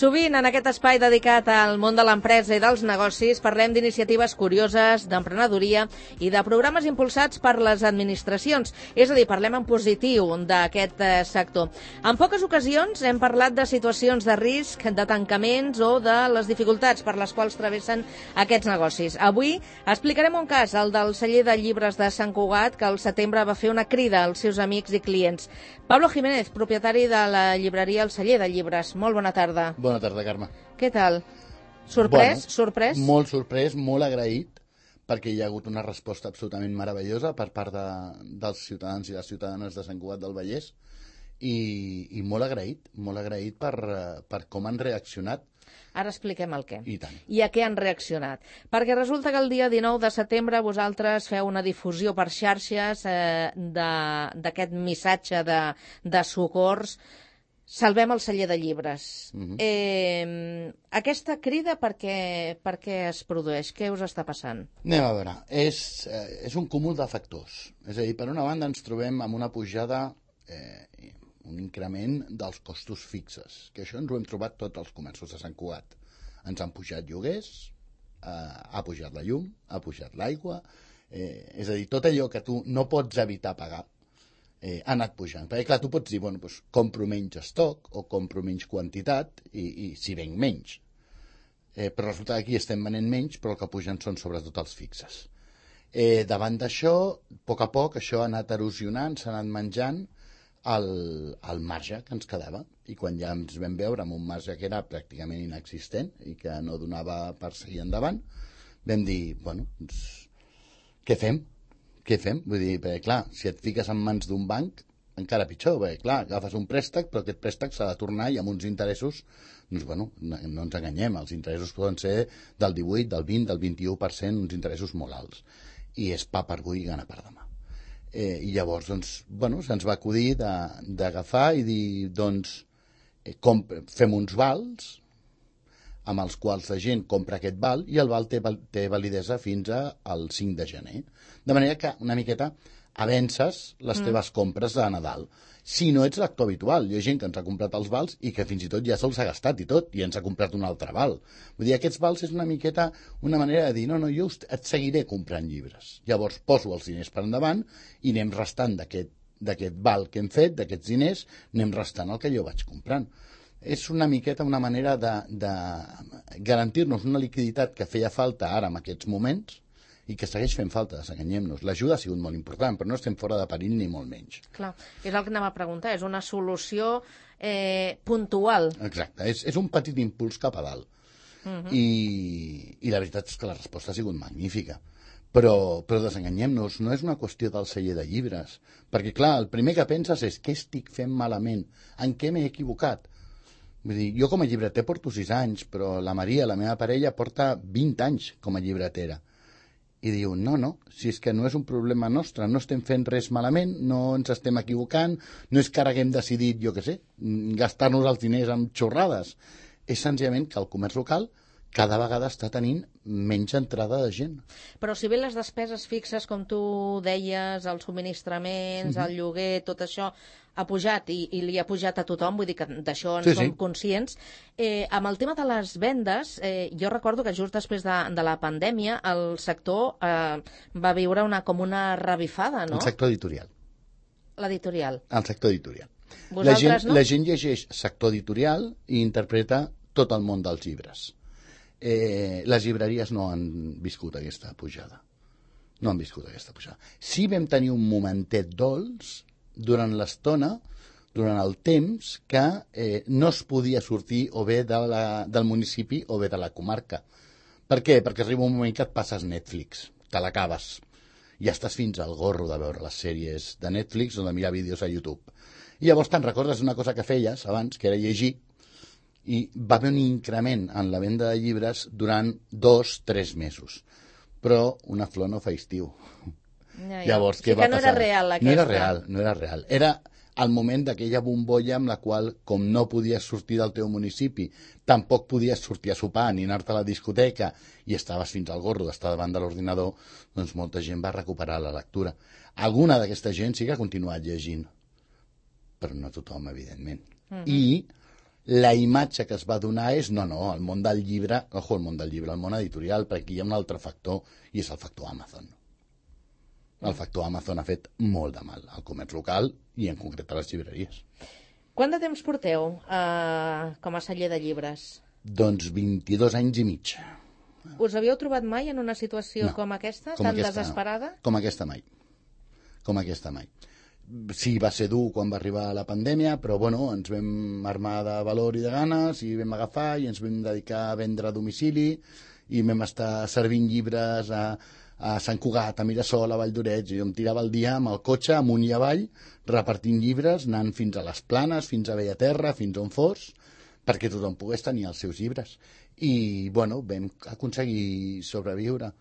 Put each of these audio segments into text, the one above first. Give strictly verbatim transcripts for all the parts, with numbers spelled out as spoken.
Sovint, en aquest espai dedicat al món de l'empresa i dels negocis, parlem d'iniciatives curioses, d'emprenedoria i de programes impulsats per les administracions. És a dir, parlem en positiu d'aquest eh, sector. En poques ocasions hem parlat de situacions de risc, de tancaments o de les dificultats per les quals travessen aquests negocis. Avui explicarem un cas, el del celler de llibres de Sant Cugat, que al setembre va fer una crida als seus amics i clients. Pablo Jiménez, propietari de la llibreria El Celler de Llibres. Molt bona tarda. Bona tarda, Carme. Què tal? Sorprès? Bueno, sorprès? Molt sorprès, molt agraït, perquè hi ha hagut una resposta absolutament meravellosa per part de, dels ciutadans i les ciutadanes de Sant Cugat del Vallès i, i molt agraït, molt agraït per, per com han reaccionat. Ara expliquem el què. I tant. I a què han reaccionat. Perquè resulta que el dia dinou de setembre vosaltres feu una difusió per xarxes eh, d'aquest missatge de, de socors. Salvem el celler de llibres. Uh-huh. eh, aquesta crida per què, per què es produeix? Què us està passant? Anem a veure. És, eh, és un cúmul de factors. És a dir, per una banda ens trobem amb una pujada, eh, un increment dels costos fixes, que això ens ho hem trobat tots els comerços de Sant Cugat. Ens han pujat lloguers, eh, ha pujat la llum, ha pujat l'aigua, eh, és a dir, tot allò que tu no pots evitar pagar, Eh, ha anat pujant. Perquè, clar, tu pots dir, bueno, doncs, compro menys estoc o compro menys quantitat i, i si venc menys. Eh, però resulta que aquí estem venent menys, però el que pugen són sobretot els fixes. Eh, davant d'això, a poc a poc, això ha anat erosionant, s'ha anat menjant el, el marge que ens quedava. I quan ja ens vam veure amb un marge que era pràcticament inexistent i que no donava per seguir endavant, vam dir, bueno, doncs, què fem? Què fem? Vull dir, perquè, clar, si et fiques en mans d'un banc, encara pitjor, perquè, clar, agafes un préstec, però aquest préstec s'ha de tornar i amb uns interessos, doncs, bueno, no, no ens enganyem, els interessos poden ser del divuit, del vint, del vint-i-u per cent, uns interessos molt alts. I és pa per avui i gana per demà. Eh, I llavors, doncs, bueno, se'ns va acudir d'agafar i dir, doncs, eh, com, fem uns vals, amb els quals la gent compra aquest val i el val té, té validesa fins al cinc de gener. De manera que una miqueta avences les mm. teves compres de Nadal. Si no ets lector habitual, hi ha gent que ens ha comprat els vals i que fins i tot ja se'ls ha gastat i tot, i ens ha comprat un altre val. Vull dir, aquests vals és una miqueta una manera de dir, no, no, jo et seguiré comprant llibres. Llavors poso els diners per endavant i anem restant d'aquest val que hem fet, d'aquests diners, anem restant el que jo vaig comprant. És una miqueta una manera de, de garantir-nos una liquiditat que feia falta ara en aquests moments i que segueix fent falta, desenganyem-nos. L'ajuda ha sigut molt important, però no estem fora de perill ni molt menys. Clar, és el que anem a preguntar, és una solució eh, puntual. Exacte, és, és un petit impuls cap a dalt. Uh-huh. I, I la veritat és que la resposta ha sigut magnífica. Però, però desenganyem-nos, no és una qüestió del celler de llibres. Perquè, clar, el primer que penses és què estic fent malament, en què m'he equivocat. Vull dir, jo com a llibreter porto sis anys, però la Maria, la meva parella, porta vint anys com a llibretera. I diu, no, no, si és que no és un problema nostre, no estem fent res malament, no ens estem equivocant, no és que ara haguem decidit, jo què sé, gastar-nos els diners amb xorrades. És senzillament que el comerç local cada vegada està tenint menys entrada de gent. Però si bé les despeses fixes, com tu deies, els subministraments, mm-hmm. el lloguer, tot això ha pujat i, i li ha pujat a tothom, vull dir que d'això en sí, som sí. conscients. Eh, amb el tema de les vendes, eh, jo recordo que just després de, de la pandèmia el sector eh, va viure una, com una revifada, no? El sector editorial. L'editorial. El sector editorial. Vosaltres, la gent, no? La gent llegeix sector editorial i interpreta tot el món dels llibres. Eh, les llibreries no han viscut aquesta pujada. No han viscut aquesta pujada. Sí vam tenir un momentet dolç durant l'estona, durant el temps, que eh, no es podia sortir o bé de la, del municipi o bé de la comarca. Per què? Perquè arriba un moment que et passes Netflix, te l'acabes. Ja estàs fins al gorro de veure les sèries de Netflix o de mirar vídeos a YouTube. I llavors te'n recordes una cosa que feies abans, que era llegir, i va haver un increment en la venda de llibres durant dos, tres mesos. Però una flor no fa estiu. Ja, ja. Llavors, O sigui què va que no passar? era real, aquesta. No era real, no era real. Era el moment d'aquella bombolla amb la qual, com no podies sortir del teu municipi, tampoc podies sortir a sopar ni anar-te a la discoteca i estaves fins al gorro d'estar davant de l'ordinador, doncs molta gent va recuperar la lectura. Alguna d'aquesta gent sí que ha continuat llegint, però no tothom, evidentment. Uh-huh. I la imatge que es va donar és, no, no, el món del llibre, ojo, el món del llibre, el món editorial, perquè aquí hi ha un altre factor, i és el factor Amazon. El factor Amazon ha fet molt de mal al comerç local i en concret a les llibreries. Quant de temps porteu eh, com a celler de llibres? Doncs vint-i-dos anys i mig. Us havíeu trobat mai en una situació No, com aquesta, com tan aquesta, desesperada? No. Com aquesta mai. Com aquesta mai. Sí, va ser dur quan va arribar la pandèmia, però bueno, ens vam armar de valor i de ganes i vam agafar i ens vam dedicar a vendre a domicili i vam estar servint llibres a, a Sant Cugat, a Mirasol, a Vall d'Oreig, i em tirava el dia amb el cotxe amunt i avall repartint llibres, anant fins a les Planes, fins a Bellaterra, fins on fos, perquè tothom pogués tenir els seus llibres. I, bueno, vam aconseguir sobreviure.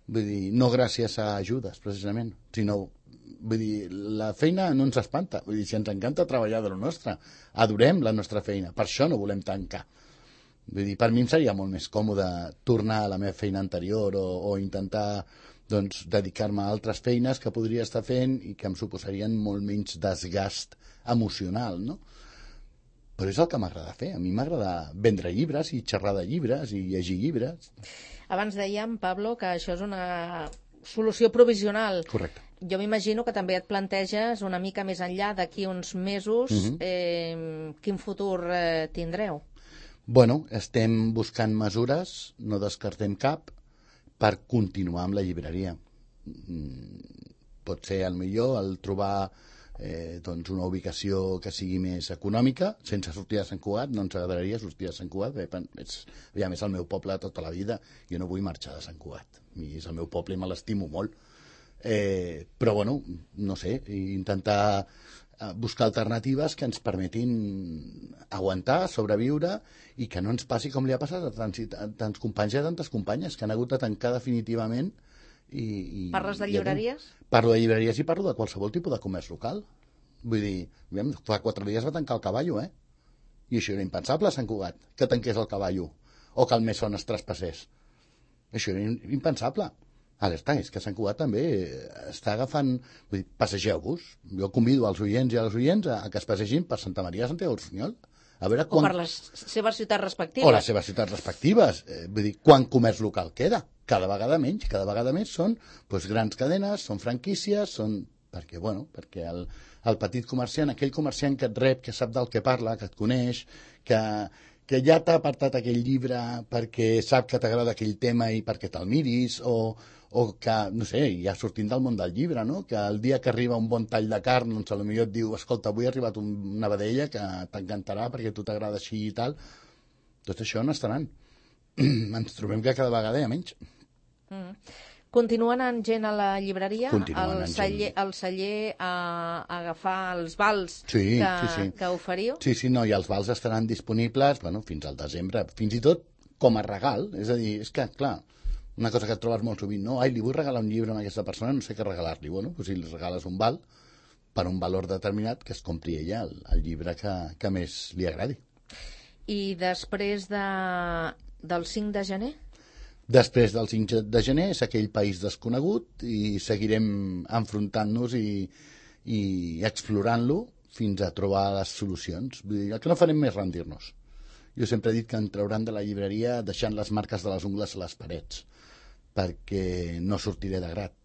Vull dir, no gràcies a ajudes, precisament, sinó, vull dir, la feina no ens espanta. Vull dir, si ens encanta treballar de lo nostre, adorem la nostra feina, per això no volem tancar. Vull dir, per mi em seria molt més còmode tornar a la meva feina anterior o, o intentar, doncs, dedicar-me a altres feines que podria estar fent i que em suposarien molt menys desgast emocional, no? Però és el que m'agrada fer. A mi m'agrada vendre llibres i xerrar de llibres i llegir llibres. Abans dèiem, Pablo, que això és una solució provisional. Correcte. Jo m'imagino que també et planteges una mica més enllà d'aquí uns mesos Mhm. eh, quin futur eh, tindreu. Bueno, estem buscant mesures, no descartem cap, per continuar amb la llibreria. Mm, pot ser, al millor, el trobar eh, doncs una ubicació que sigui més econòmica, sense sortir de Sant Cugat. No ens agradaria sortir de Sant Cugat, perquè és, aviam, és el meu poble tota la vida, jo no vull marxar de Sant Cugat, i és el meu poble i me l'estimo molt. Eh, però, bueno, no sé, intentar buscar alternatives que ens permetin aguantar, sobreviure i que no ens passi com li ha passat a tants, a tants companys i a tantes companyes que han hagut de tancar definitivament. I, i, Parles de llibreries? I parlo de llibreries i parlo de qualsevol tipus de comerç local. Vull dir, fa quatre dies va tancar el Cavallo, eh? I això era impensable a Sant Cugat, que tanqués el Cavallo o que el Mesón es traspassés. Això era impensable. Alerta, és que Sant Cugat també està agafant... Vull dir, passegeu-vos. Jo convido als oients i a les oients a, a que es passegin per Santa Maria de Santiago del Sunyol. A veure quan... O per les seves ciutats respectives. O les seves ciutats respectives. Eh, vull dir, quan comerç local queda? Cada vegada menys, cada vegada més són doncs, grans cadenes, són franquícies, són... Perquè, bueno, perquè el, el petit comerciant, aquell comerciant que et rep, que sap del que parla, que et coneix, que, que ja t'ha apartat aquell llibre perquè sap que t'agrada aquell tema i perquè te'l miris, o, o que, no sé, ja sortint del món del llibre, no? Que el dia que arriba un bon tall de carn, doncs potser et diu, escolta, avui ha arribat una vedella que t'encantarà perquè a tu t'agrada així i tal. Tot això no estaran. Ens trobem que cada vegada hi ha menys. Mm. Continua anant gent a la llibreria? Continua al anant celler, gent. al celler a, a agafar els vals Sí, que, sí, sí. que oferiu? Sí, sí, no, i els vals estaran disponibles, bueno, fins al desembre, fins i tot com a regal. És a dir, és que, clar, una cosa que et trobes molt sovint, no? Ai, li vull regalar un llibre a aquesta persona, no sé què regalar-li. Bueno, doncs si li regales un val, per un valor determinat, que es compri ella el, el llibre que, que més li agradi. I després de, del cinc de gener? Després del cinc de gener és aquell país desconegut i seguirem enfrontant-nos i, i explorant-lo fins a trobar les solucions. Vull dir, el que no farem més rendir-nos. Jo sempre he dit que en trauran de la llibreria deixant les marques de les ungles a les parets, perquè no sortiré de grat.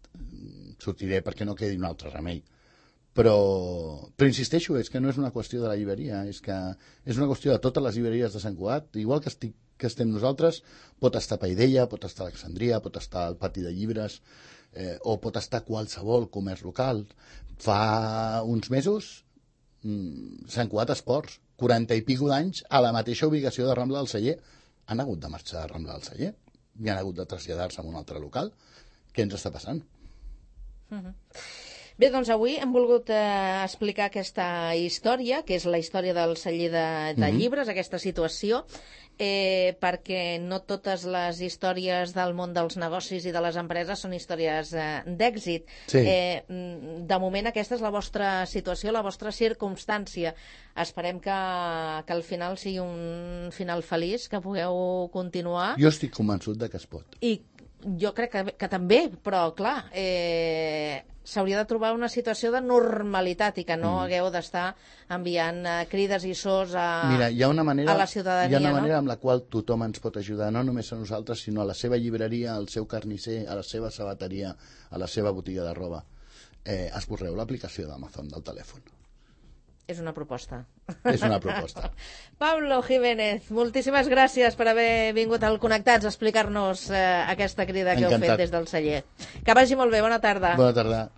Sortiré perquè no quedi un altre remei. Però, però insisteixo, és que no és una qüestió de la llibreria, és que és una qüestió de totes les llibreries de Sant Cugat, igual que estic que estem nosaltres, pot estar Paidella, pot estar Alexandria, pot estar el Pati de Llibres, eh, o pot estar qualsevol comerç local. Fa uns mesos, mmm, Sant Cugat Esports, quaranta i pico d'anys, a la mateixa ubicació de Rambla del Celler. Han hagut de marxar de Rambla del Celler i han hagut de traslladar-se a un altre local. Què ens està passant? Uh-huh. Bé, doncs avui hem volgut eh, explicar aquesta història, que és la història del celler de, de Mhm. llibres, aquesta situació, eh, perquè no totes les històries del món dels negocis i de les empreses són històries eh, d'èxit. Sí. Eh, mm, de moment aquesta és la vostra situació, la vostra circumstància. Esperem que, que al final sigui un final feliç, que pugueu continuar. Jo estic convençut de que es pot. I jo crec que, que també, però clar, eh, s'hauria de trobar una situació de normalitat i que no Mm. hagueu d'estar enviant eh, crides i sos a, Mira, hi ha una manera, a la ciutadania. hi ha una no? manera amb la qual tothom ens pot ajudar, no només a nosaltres, sinó a la seva llibreria, al seu carnisser, a la seva sabateria, a la seva botiga de roba. Eh, esborreu l'aplicació d'Amazon del telèfon. És una proposta. És una proposta. Pablo Jiménez, moltíssimes gràcies per haver vingut al Connectats a explicar-nos eh, aquesta crida que heu Encantat. fet des del celler. Que vagi molt bé, bona tarda. Bona tarda.